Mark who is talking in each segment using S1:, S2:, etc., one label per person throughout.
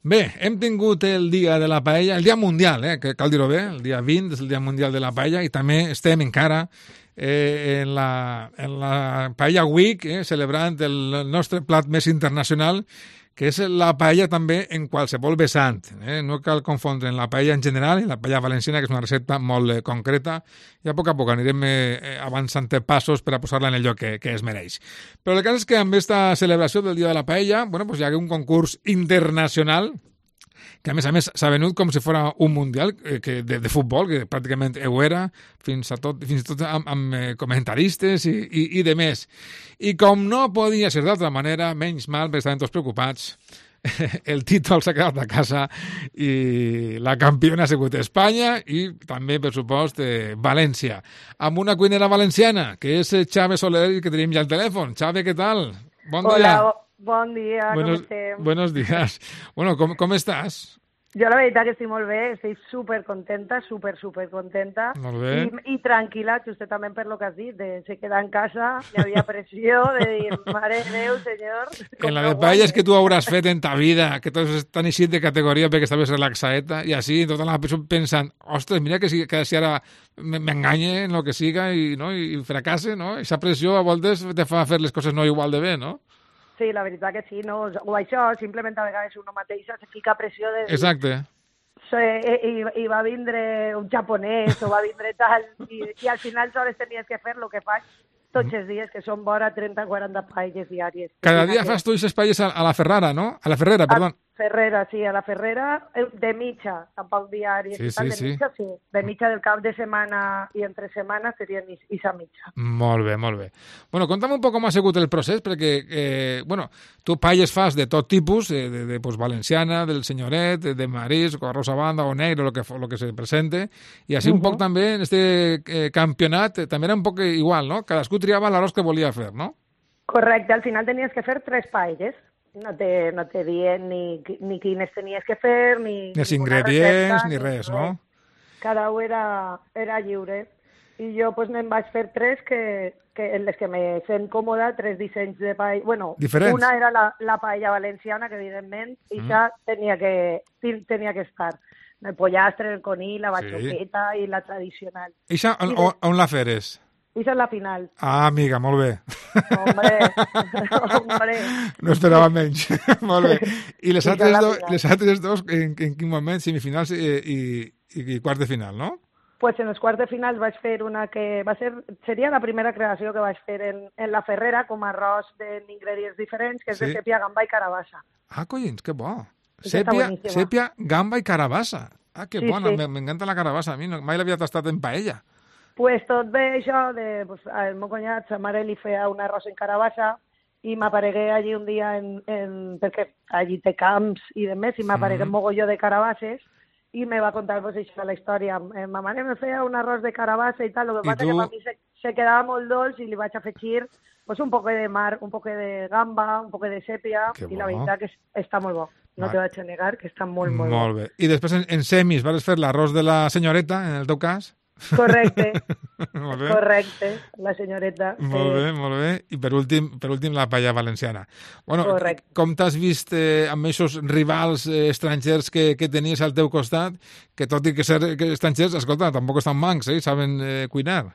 S1: Bé, hem tingut el dia de la paella, el dia mundial, que cal dir-ho bé, el dia 20 és el dia mundial de la paella i també estem encara en la Paella Week, celebrant el nostre plat més internacional, que és la paella també en qualsevol vessant. No cal confondre en la paella en general i la paella valenciana, que és una recepta molt concreta, i a poc anirem avançant passos per a posar-la en el lloc que es mereix. Però el cas és que amb aquesta celebració del Dia de la Paella, hi ha un concurs internacional que a més s'ha venut com si fos un mundial de futbol, que pràcticament ho era, fins i tot amb comentaristes i de més. I com no podia ser d'altra manera, menys mal, perquè estaven tots preocupats, el títol s'ha quedat a casa i la campiona ha sigut Espanya i també, per supost, València. Amb una cuinera valenciana, que és Xavi Soler, que tenim ja al telèfon. Xavi, què tal? Bon dia.
S2: Hola, bon dia, com estem?
S1: Buenos días. Bueno, com estàs?
S2: Jo la veritat que estic molt bé, estic supercontenta, supercontenta.
S1: Molt bé.
S2: I tranquil·la, justament per lo que has dit, de se quedar en casa, hi havia pressió de dir, mare de Déu, senyor...
S1: En la de paelles que tu hauràs fet en ta vida, que tots estan eixit de categoria perquè estaves relaxadeta, i així, tota la persona pensant, ostres, mira que si ara m'enganye en el que siga i fracasse, no? Aquesta pressió a voltes te fa fer les coses no igual de bé, no?
S2: Sí, la veritat que sí, no? O això, simplement a vegades una mateixa se fica pressió de...
S1: Exacte.
S2: I va vindre un japonès o va vindre tal, i al final sols tenies que fer el que faig tots els dies, que són vora 30-40 paelles diàries.
S1: Cada dia fas tu aquestes paelles a la Ferrara, no? A la Ferrera, perdó.
S2: Ferrera, sí, a la Ferrera, de mitja, tampoc diari.
S1: Sí.
S2: De mitja del cap de setmana i entre setmanes serien isa mitja.
S1: Molt bé. Bueno, conta'm un poc com ha sigut el procés, perquè, tu paelles fas de tot tipus, de valenciana, del senyoret, de marisc, o arròs a banda, o negre, lo que se presente, i així un poc també en este campionat, també era un poc igual, no? Cadascú triava l'arròs que volia fer, no?
S2: Correcte, al final tenies que fer 3 paelles. No te dient ni quines tenies que fer, ni
S1: els ingredients, ni res, no?
S2: Cada un era lliure. I jo me'n vaig fer 3 que en les que me sent còmoda, 3 dissenys de paella. Bueno,
S1: diferents.
S2: Una era la paella valenciana, que evidentment, i ja tenia que estar. El pollastre, el conill, la bachoqueta i la tradicional.
S1: I això on la feres?
S2: Això és la final.
S1: Ah, amiga, molt bé.
S2: Hombre.
S1: No esperava menys. Molt bé. I les altres dos, en quin moment? Semifinals i quarts de final, no?
S2: Pues en els quarts de final vaig fer una que seria la primera creació que vaig fer en la Ferrera, com a arròs d'ingredients diferents, que és de sèpia, gamba i carabassa.
S1: Ah, collins, que bo. Sèpia, gamba i carabassa. Ah, que bona, m'encanta la carabassa. A mi mai l'havia tastat en paella.
S2: Pues tot bé això, el meu cunyat, sa mare li feia un arròs en carabassa i m'aparegué allí un dia perquè allí té camps i demés, i m'aparegué un mogolló de carabasses i me va contar això de la història. Ma mare me feia un arròs de carabassa i tal, el que passa que per mi se quedava molt dolç i li vaig afegir un poc de mar, un poc de gamba, un poc de sèpia, i la veritat que està molt bo. No te vaig a negar que està molt bo.
S1: Molt bé. I després en semis vas fer l'arròs de la senyoreta, en el teu cas?
S2: Correcte, la senyoreta.
S1: Molt bé. I per últim la paella valenciana. Bueno, com t'has vist amb aquests rivals estrangers que tenies al teu costat, que tot i que ser estrangers, escolta, tampoc estan mancs, saben cuinar?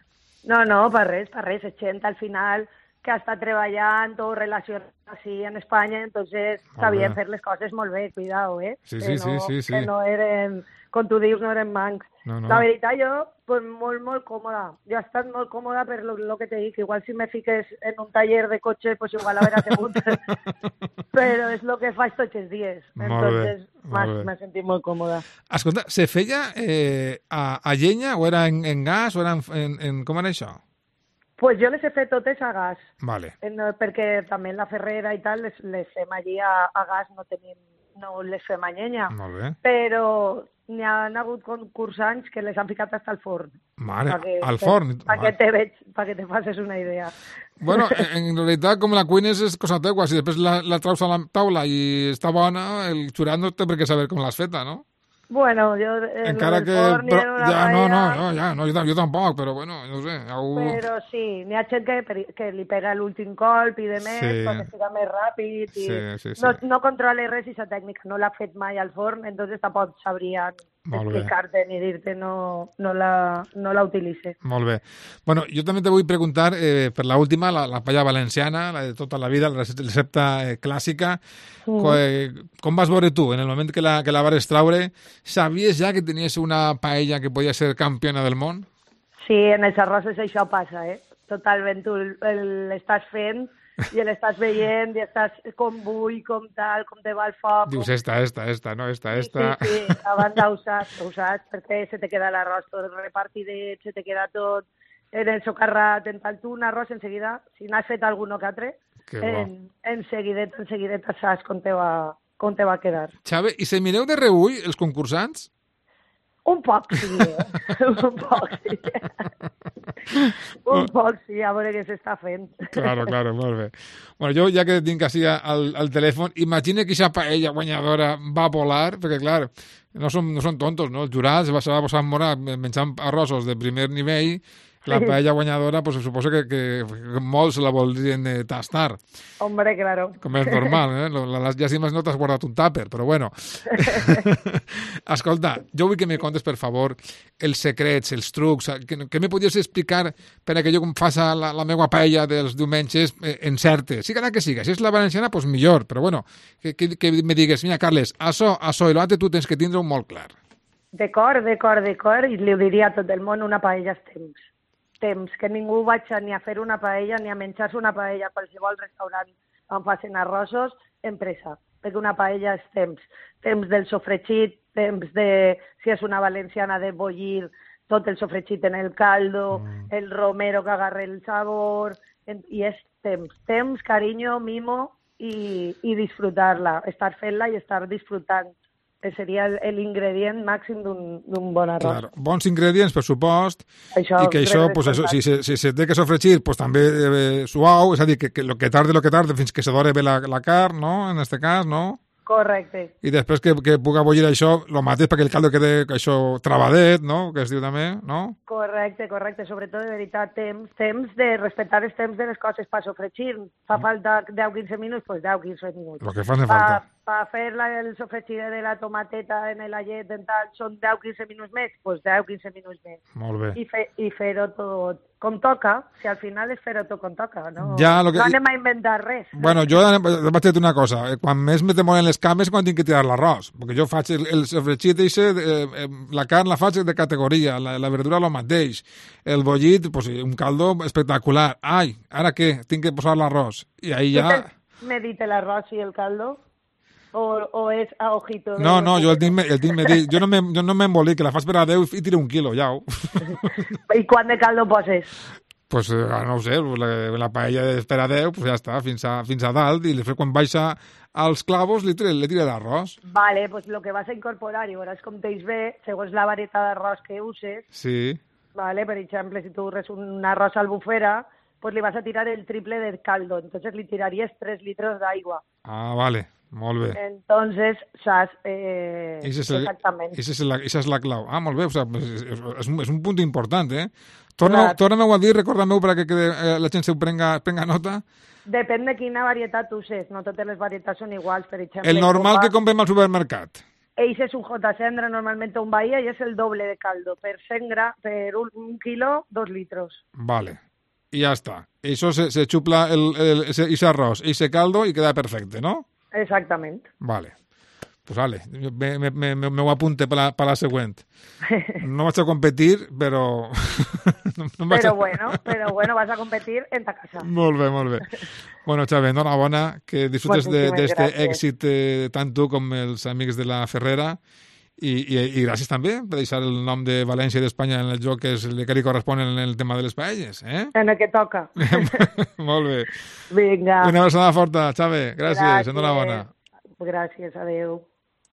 S2: No, per res, és gent al final que ha estat treballant o relacionat així en Espanya, entonces sabien fer les coses molt bé, cuidao,
S1: Sí.
S2: Que no eren, com tu dius, no eren mancs.
S1: No.
S2: La veritat, jo, molt còmoda. Jo he estat molt còmoda per lo que te dic. Igual si me fiques en un taller de cotxe, pues igual haurà sigut. Però és el que faig tots els dies. Entonces, m'he sentit molt còmoda.
S1: Escolta, se feia a llenya o era en gas o era en com era això?
S2: Pues jo les he fet totes a gas.
S1: Vale.
S2: Perquè també en la Ferrera i tal les fem allí a gas, no les fem a llenya.
S1: Molt bé.
S2: Però n'hi ha hagut concursants que les han ficat hasta al forn.
S1: Mare, al forn?
S2: Perquè te facis una idea.
S1: Bueno, en realitat, com la cuines és cosa teua. Si després la traus a la taula i està bona, el xurat no té per què saber com l'has feta, no?
S2: Bueno, jo...
S1: Encara que... Però, jo tampoc, però bueno, no sé.
S2: Però sí, n'hi ha gent que li pega l'últim colp i de més, perquè siga més ràpid. I no controla res i sa tècnica, no l'ha fet mai al forn, entonces tampoc sabrien explicar-te ni dir-te no la utilitze.
S1: Molt bé. Bueno, jo també te vull preguntar per l'última, la paella valenciana, la de tota la vida, la recepta clàssica. Com vas veure tu en el moment que la vas traure? Sabies ja que tenies una paella que podia ser campiona del món?
S2: Sí, en els arrossos això passa, totalment. Tu l'estàs fent i l'estàs veient i estàs com bull, com tal, com te va el foc.
S1: Dius, esta, no? Esta.
S2: Sí, abans ho saps, perquè se te queda l'arròs tot repartidet, se te queda tot en el socarrat, en tal. Tu un arròs en seguida, si n'has fet algun que altre, en seguideta saps com te va quedar.
S1: Xavi, i se mireu de reull els concursants?
S2: Un poc, sí. Un poc, sí. Un poc, sí, a veure què s'està fent.
S1: Claro, molt bé. Bueno, jo ja que tinc així al telèfon, imagina que aquesta paella guanyadora va volar, perquè, clar, no són tontos, no? Els jurats se va posar a morar menjant arrossos de primer nivell. La paella guanyadora, pues suposo que molts la voldrien tastar.
S2: Hombre, claro.
S1: Com és normal, Les llàstimes no t'has guardat un tàper, però bueno. Escolta, jo vull que me contes, per favor, els secrets, els trucs, que me podies explicar per a que jo faci la meva paella dels diumenges encerte. Siga que siga. Si és la valenciana, pues millor, però bueno, que me digues, mira, Carles, això i l'altre tu tens que tindre-ho molt clar.
S2: D'acord, i li ho diria a tot el món, una paella és temps, que ningú vaig ni a fer una paella ni a menjar-se una paella a qualsevol restaurant on facin arrossos, empresa, perquè una paella és temps del sofregit, temps de, si és una valenciana, de bullir tot el sofregit en el caldo, el romero que agarre el sabor, i és temps, carinyo, mimo i disfrutar-la, estar fent-la i estar disfrutant. Seria l'ingredient màxim d'un bon arròs.
S1: Claro, bons ingredients, per supost, i que això, pues eso, si se té que sofregir, pues també suau, és a dir, que lo que tarde fins que se dore bé la carn, no?, en este cas, no?
S2: Correcte.
S1: I després que puga bullir això, el mateix perquè el caldo quede això travadet, no?, que es diu també, no?
S2: Correcte, sobretot, de veritat, temps de respectar els temps de les coses per sofregir. Fa falta 10-15 minuts, doncs 10-15 minuts.
S1: Lo que fa falta.
S2: Per fer el sofregit de la tomateta en l'allet, són 10-15 minuts més, doncs 10-15 minuts més.
S1: Molt bé.
S2: I fer-ho tot com toca, si al final és fer-ho tot com toca, no?
S1: No
S2: anem a inventar res.
S1: Bueno, jo vaig dir una cosa, quan més me demoren les cames quan tinc que tirar l'arròs, perquè jo faig el sofregit la carn la faig de categoria, la verdura lo mateix, el bullit, pues, un caldo espectacular. Ai, ara què? Tinc que posar l'arròs. I ahí ja...
S2: ¿Medite l'arròs i el caldo? O és a ojito?
S1: No, jo el tinc medir. Jo no m'embolic, que la fas per a 10 i tiro 1 quilo, ja.
S2: I quant de caldo poses?
S1: Pues no ho sé, la paella és per a 10, pues ja està, fins a dalt, i després quan baixa als clavos li tira l'arròs.
S2: Vale, pues lo que vas a incorporar, i veuràs com t'eix bé, segons la varietat d'arròs que uses.
S1: Sí.
S2: Vale, per exemple, si tu uses un arròs albufera, pues li vas a tirar el triple del caldo, entonces li tiraries 3 litros d'aigua.
S1: Ah, vale. Molt bé.
S2: Entonces, saps exactament.
S1: Esa és la clau. Ah, molt bé, o sea, és un punt important, eh? Torna-m'ho a dir, recorda-m'ho perquè la gent se prenga nota.
S2: Depèn de quina varietat uses, no totes les varietats són iguals, per exemple.
S1: El normal que comprem al supermercat.
S2: Ese es un J-Cendra, normalmente un Bahía, y es el doble de caldo. Per 1 kilo, 2 litros.
S1: Vale. Y ya está. Eso se chupla ese arroz, ese caldo y queda perfecto, ¿no?
S2: Exactament.
S1: Vale. Pues vale, me ho apunte per la següent. No vaig a competir, però...
S2: Però bueno, vas a competir en ta casa.
S1: Molt bé. Bueno, Xavi, enhorabona, que disfrutes d'este èxit tant tu com els amics de la Ferrera i gràcies també per deixar el nom de València i d'Espanya en el joc que és el que li correspon en el tema de les paelles, eh?
S2: En el que toca.
S1: Molt bé.
S2: Vinga.
S1: Una abraçada forta, Xavi. Gràcies. Enhorabona.
S2: Gràcies, adeu.